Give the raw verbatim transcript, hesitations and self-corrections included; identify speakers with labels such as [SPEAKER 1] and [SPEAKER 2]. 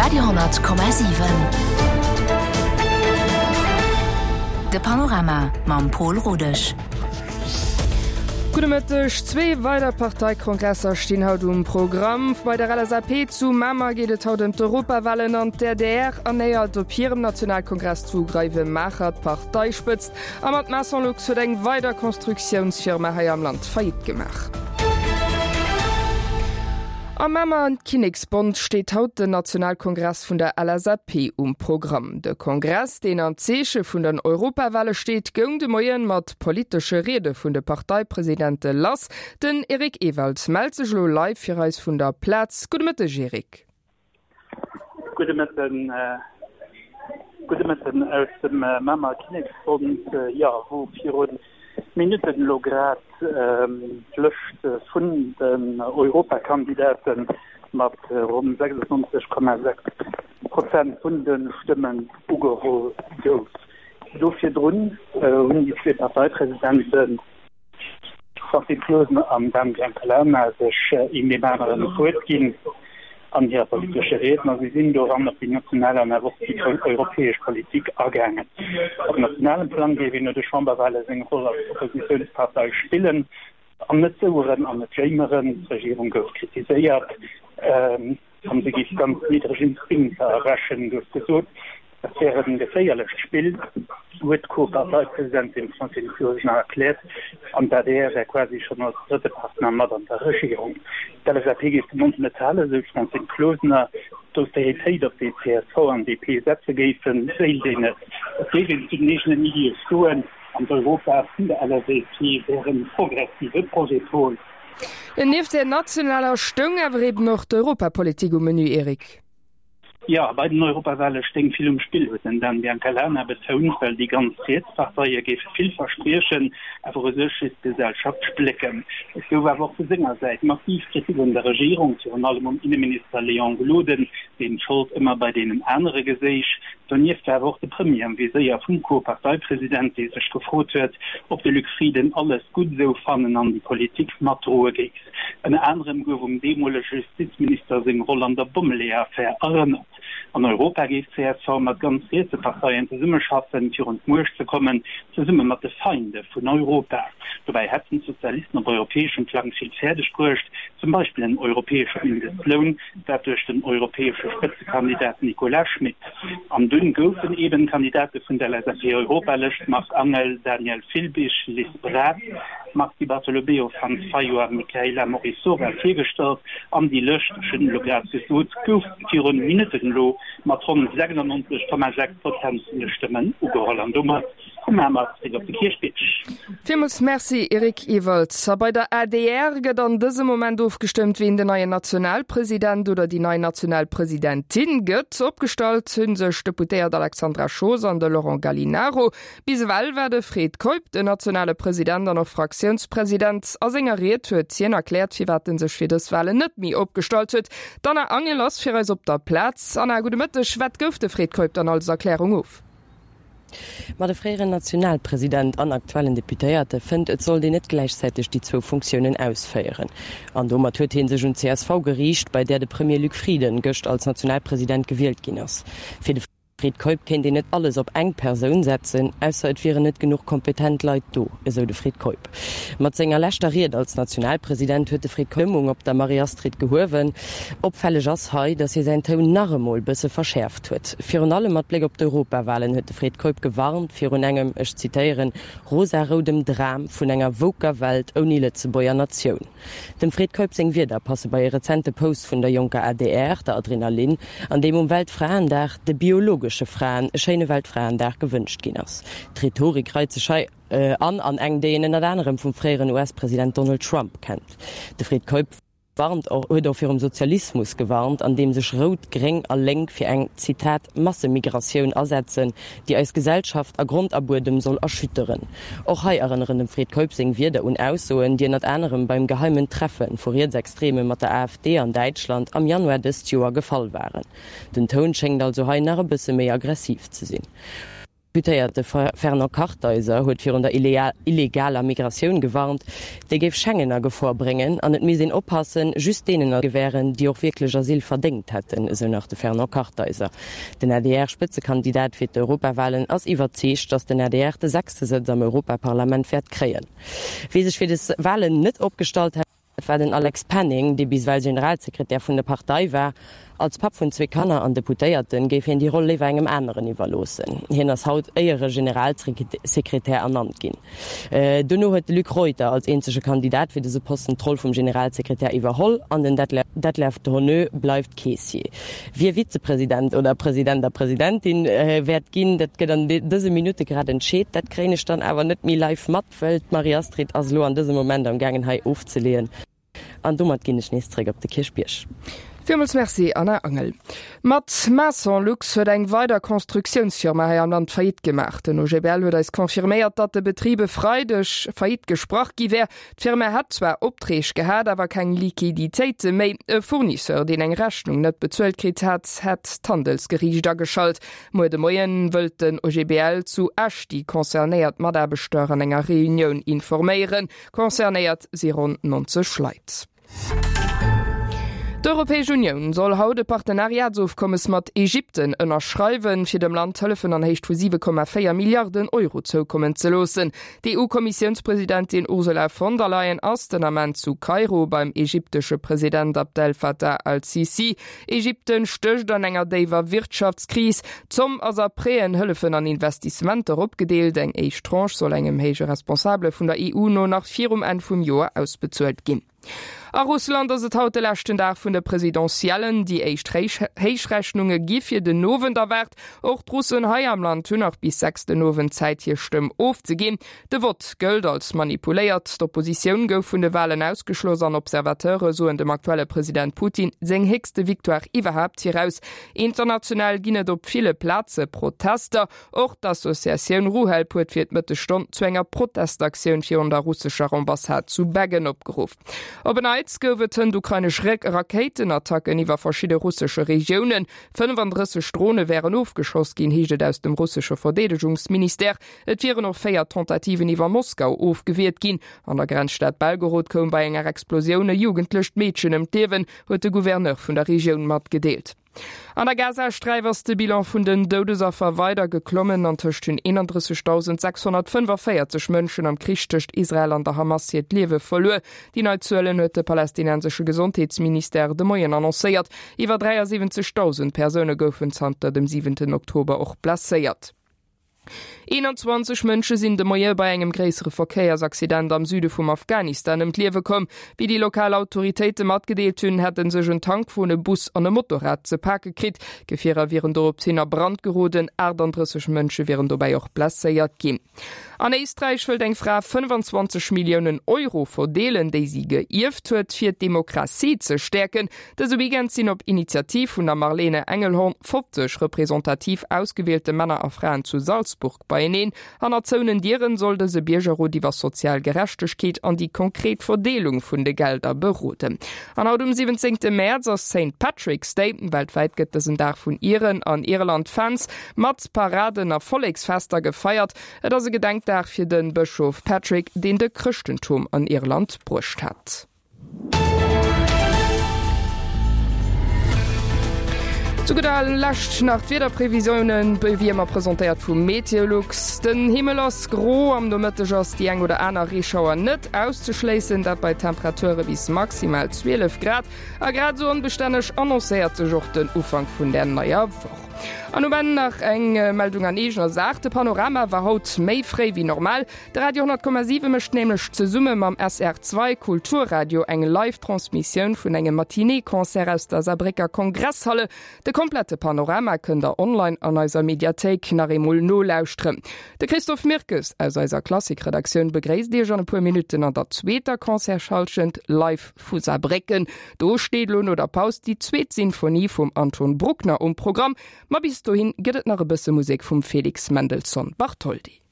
[SPEAKER 1] Radio honnert Komma siwen. De Panorama mam Pol Rodesch.
[SPEAKER 2] Gudde Mëtteg. Zwee weider Parteikongresser stinn haut um Programm. Bei der L S A P zu Mamer geet et haut ëm d'Europawalen an d'A D R ernéiert op hirem Nationalkongress zu Greivemaacher d'Parteispëtzt. A mat Mason-Lux huet eng weider Constructiounsfirma hei am Land Faillite gemaach. Am Mamer Kinneksbond steet haut den Nationalkongress vun der L S A P um Programm. De Kongress, deen am Zeeche vun den Europawale steet, goung de Moien mat politesche Riede vun de Parteipresidente lass. Den Eric Ewald mellt sech elo live fir eis vun der Plaz. Gudde Mëtteg, Eric.
[SPEAKER 3] Gudde Mëtten, äh, gudde Mëtten aus dem äh, Mamer Kinneksbond, äh, ja, wou virun Minutten elo grad ähm, d'Lëscht vun den Europakandidate mat äh, ronn sechsundneunzeg Komma sechs Prozent vun de Stëmmen ugeholl gouf. Do virdrun äh, hunn déi zwee Parteipresidenten Francine Closener an Dan Biancalana sech äh, een deem aneren d'Wuert ginn an hire politesche Rieden a si sinn doran op déi national an awer och déi europäesch Politik agaangen. Op nationalem Plang géif een no de Chamberwale seng Roll als Oppositiounspartei spillen an net soueren an net jéimeren. D'Regierung gouf kritiséiert ähm, an se géif ganz niddreg Instinkter errechen, gouf gesot. Dat wär e geféierlecht Spill, huet d'Co-Parteipresidentin Francine Closener erkläert, an d'A D R wär quasi schonn als drëtte Partner mat an der Regierung. D'L S A P géif de Mond net halen, sou d'Francine Closener. D'Austeritéit, op déi C S V an D P setze géifen, wéilt een net. Et géif een zu den eegenen Iddie stoen an d'Europa vun der L S A P wär e progressive Projet. Pol.
[SPEAKER 2] Nieft der nationaler stoung awer eben och d'Europapolitik um Menü, Eric.
[SPEAKER 3] Ja, bei den Europawale stéing vill um Spill, huet den Dan Biancalana betount, well déi ganz riets Parteie géife vill verspriechen, awer u sech just d'Gesellschaft splécken. Et gouf awer och vu senger Säit massiv Kritik un der Regierung, virun allem um Inneminister Léon Gloden, deen d'Schold ëmmer bei deenen anere geséich. Donieft war awer och de Premier am Viséier vum Co-Parteipresident, dee sech gefrot huet, ob de Luc Frieden alles gutt esou fannen an déi Politik matdroe géif. Ënner anerem gouf um deemolege Justizminister seng Roll an der Bommeleeër-Affär erënnert. An Europa géif C S V mat ganz rietse Parteien zesummeschaffen, fir un d'Muecht ze kommen, zesumme mat de Feinde vun Europa. Dobäi hätten d'Sozialisten op europäeschem Plang vill fäerdeg bruecht, zum Beispill en europäesche Mindestloun, dat duerch den europäesche Spëtzekandidat Nicolas Schmit. An dunn goufen eben d'Kandidate vun der L S A P-Europalëscht Marc Angel, Daniel Filbig, Liz Braz, Mars Di Bartolomeo, Franz Fayot a Michaela Morisova virgestallt an déi Lëscht, ech hunn elo grad gesot, gouf virun Minutten elo mat ronn sechsundneunzeg Komma sechs Prozent vun de Stëmmen ugeholl an domat vu Mamer zeréck op de Kierchbierg.
[SPEAKER 2] Villmools Merci, Eric Ewald. A bei der A D R gëtt an dësem Moment ofgestëmmt, wien den neien Nationalpresident oder déi nei Nationalpresidentin gëtt. Opgestallt hunn sech d'Deputéiert Alexandra Schoos an de Laurent Gallinaro. Bis ewell war de Fred Keup den nationale President an och Fraktiounspresident. A senger Ried huet hien erkläert, firwat en sech fir dës Walen net méi opgestallt huet. D'Anna Angel ass fir eis op der Plaz. Anna, gudde Mëtteg. Wat gouf de Fred Keup dann als Erklärung of?
[SPEAKER 4] Ma de fréieren Nationalpresident an aktuellen Deputéierte fënnt, et sollt een net gläichzäiteg déi zwou Funktiounen ausféieren. An domat huet hie sech un d'C S V geriicht, bei där de Premier Luc Frieden gëscht als Nationalpresident gewielt ginn ass. Fir de Fred Keup kéint een net alles op eng Persoun setzen, ausser et wieren net genuch kompetent Leit do, esou de Fred Keup. Mat senger leschter Ried als Nationalpresident huet de Fred Keup d'Stëmmung op der Marie-Astrid gehuewen. Opfälleg ass hei, datt hie säin Toun nach emol bësse verschäerft huet. Virun allem mat Bléck op d'Europawalen huet de Fred Keup gewarnt virun engem, ech zitéieren, rosaroudem Dram vun enger woker Welt ouni Lëtzebuerger Natioun. Dem Fred Keup seng Wierder passe bei e rezente Post vun der jonker A D R, der Adrenalin, an deem um Weltfraendag de biologesche Fraen e schéine Weltfraendag gewënscht ginn ass. D'Rhetorik reit sech hei an an eng, déi een ënnert anerem vum fréieren U S-President Donald Trump kennt. De Fred Keup warnt och, huet och virum Sozialismus gewarnt, an deem sech Rout, Gréng a Lénk fir eng, Zitat, Massemigratioun asetzen, déi eis Gesellschaft a Grond a Buedem soll erschütteren. Och hei erënneren dem Fred Keup seng Wierder un Aussoen, déi ënnert anerem beim geheimen Treffe vu Rietsextreme mat der A F D an Däitschland am Januar dëst Joer gefall waren. Den Toun schéngt also hei nach e bësse méi aggressiv ze sinn. Deputéierte Fernand Kartheiser huet virun der illegaler Migratioun gewarnt, déi géif Schengen a Gefor bréngen an et misst een oppassen, just deenen Asyl gewären, déi och wierklech Asyl verdéngt hätten, esou nach de Fernand Kartheiser. Den A D R-Spëtzekandidat fir d'Europawalen ass iwwerzeegt, datt den A D R de sechste Sëtz am Europaparlament wäert kréien. Wie sech fir des Walen net opgestallt hat, war den Alex Penning, dee bis ewell Generalsekretär vun der Partei war. Als Papp vun zwee Kanner an Deputéierten géif hien déi Roll léiwer engem aneren iwwerloossen. Hien ass haut Éiere-Generalsekretär ernannt ginn. Dono huet de Luc Reuter als eenzege Kandidat fir dëse Posten d'Roll vum Generalsekretär iwwerholl an den Detlef Dhoneux bleift Keessier. Wie Vizepresident oder President a Presidentin wäert ginn, dat gëtt an dëse Minutte grad entscheet. Dat kréien ech dann awer net méi live mat, well d'Marie-Astrid ass elo an dësem Moment am gaangen hei ofzeleeën. An domat ginn ech nees zréck op de Kierchbierg.
[SPEAKER 2] Villmools Merci Anna Angel. Mat Mason-Lux huet eng weider Constructiounsfirma hei am Land Faillite gemaach. Den O G B L huet eis confirméiert, datt de Betrib e Freideg Faillite gesprach gi wär. D'Firma hätt zwar Opträg gehat, awer keng Liquiditéite méi. E Fournisseur, deen eng Rechnung net bezuelt kritt hat, hätt d'Handelsgeriicht ageschalt. Muer de Moien wëllt den O G B L zu Esch déi concernéiert Mataarbechter an enger Reunioun informéieren. Concernéiert si ronn neunzeg Leit. D'Europäesch Unioun soll haut e Partenariatsofkommes mat Ägypten ënnerschreiwen, fir dem Land Hëllefen an Héicht vu siwe Komma véier Milliarden Euro zoukommen ze loossen. D'E U-Kommissiounspresidentin Ursula von der Leyen ass den Ament zu Kairo beim ägyptesche President Abdel Fattah al-Sisi. Ägypten stécht an enger déiwer Wirtschaftskris. D'Zomm ass a Prêten, Hëllefen an Investissementer opgedeelt. Eng éischt Tranche soll engem héije Responsabele vun der E U no nach virum Enn vum Joer ausbezuelt ginn. A Russland ass et haut de leschten Dag vun de Presidentiellen. Déi éischt Héichrechnunge gi fir den Owend erwaart. Och d'Russen hei am Land hunn nach bis sechs den Owend Zäit, hir Stëmm ofzeginn. De Vott gëllt als manipuléiert. D'Oppositioun gouf vun de Walen ausgeschloss an Observateure soen dem aktuelle President Putin seng héchste Victoire iwwerhaapt viraus. International ginn et op ville Plaze Protester. Och d'Associatioun Ruhelp huet fir d'Mëttesstonn zu enger Protestaktioun virun der russescher Ambassade zu Beggen opgeruff. Op en Neits gouf et hënt ukrainesch Rakéitenattacken iwwer verschidde russesche Regiounen. fënnefandrësseg Drone wären ofgeschoss ginn, heescht et aus dem russesche Verdeedegungsministère. Et wieren och véier Tentativen iwwer Moskau ofgewiert ginn. An der Grenzstad Belgorod koum bei enger Explosioun e jugendlecht Meedchen ëm d'Liewen, huet de Gouverneur vun der Regioun matgedeelt. An der Gazasträif ass de Bilan vun den Doudesaffer weider geklommen. Antëscht hunn eenandrëssegdausend sechshonnertfënnefavierzeg Mënschen am Krich tëscht Israel an der Hamas hiert Liewe verluer. Déi nei Zuelen huet de palästinensesche Gesondheetsministère de Moien annoncéiert. Iwwer dräiasiwwenzegdausend Persoune goufen zanter dem siwenten Oktober och blesséiert. eenanzwanzeg Mënsche sinn de Moie bei engem gréissere Verkéiersaccident am Süde vum Afghanistan ëm d'Liewe komm. Wéi déi lokal Autoritéite matgedeelt hunn, hätte sech en Tankwon, e Bus an e Motorrad ze pake kritt. Gefierer wieren doropshin a Brand geroden, achtandrësseg Mënsche wieren dobäi och blesséiert ginn. An Éisträich wëllt eng Fra fënnefenzwanzeg Milliounen Euro verdeelen, déi si geierft huet, fir d'Demokratie ze stäerken. Dëse Weekend sinn op Initiativ vun der Marlene Engelhorn fofzeg representativ ausgewielte Männer a Fraen zu Salzburg beieneen. Hannert zouenen Dieren soll dëse Biergerrot iwwer sozial Gerechtegkeet an déi konkret Verdeelung vun de Gelder beroden. An haut um siwwenzéngte Mäerz ass Saint Patrick's Day. Weltwäit gëtt dësen Dag vun Iren an Irland-Fans mat Paraden a Volleksfester gefeiert. Et ass e Gedenkdag fir de Bëschof Patrick, deen de Chrëschtentum an Irland bruecht hat. Zu gudder Lescht nach d'Wiederprevisiounen, wéi ëmmer presentéiert vu Meteolux. Den Himmel ass gro, am Nomëtteg ass déi eng oder aner Reeschauer net auszeschléissen, dat bei Temperature bis maximal zwielef Grad. A grad esou onbestänneg annoncéiert sech och den Ufank vun der neier Woch. An um Enn nach eng Meldung an eegener Saach. De Panorama war haut méi fréi wéi normal. De Radio honnert Komma siwe mécht nämlech zesumme mam S R zwee Kulturradio eng Live-Transmissioun vun engem Matinée-Concert aus der Saarbrécker Kongresshalle. De komplette Panorama kënnt der online an eiser Mediathéik nach eemol nolauschteren. De Christophe Mirkes aus eiser Klassikredaktioun begréisst iech an e puer Minutten an der zweeter Concertshallschent live vu Saarbrécken. Do steet lo no der Paus déi zweet Sinfonie vum Anton Bruckner um Programm. Ma bis dohin gëtt et nach e bësse Musek vum Felix Mendelssohn Bartholdy.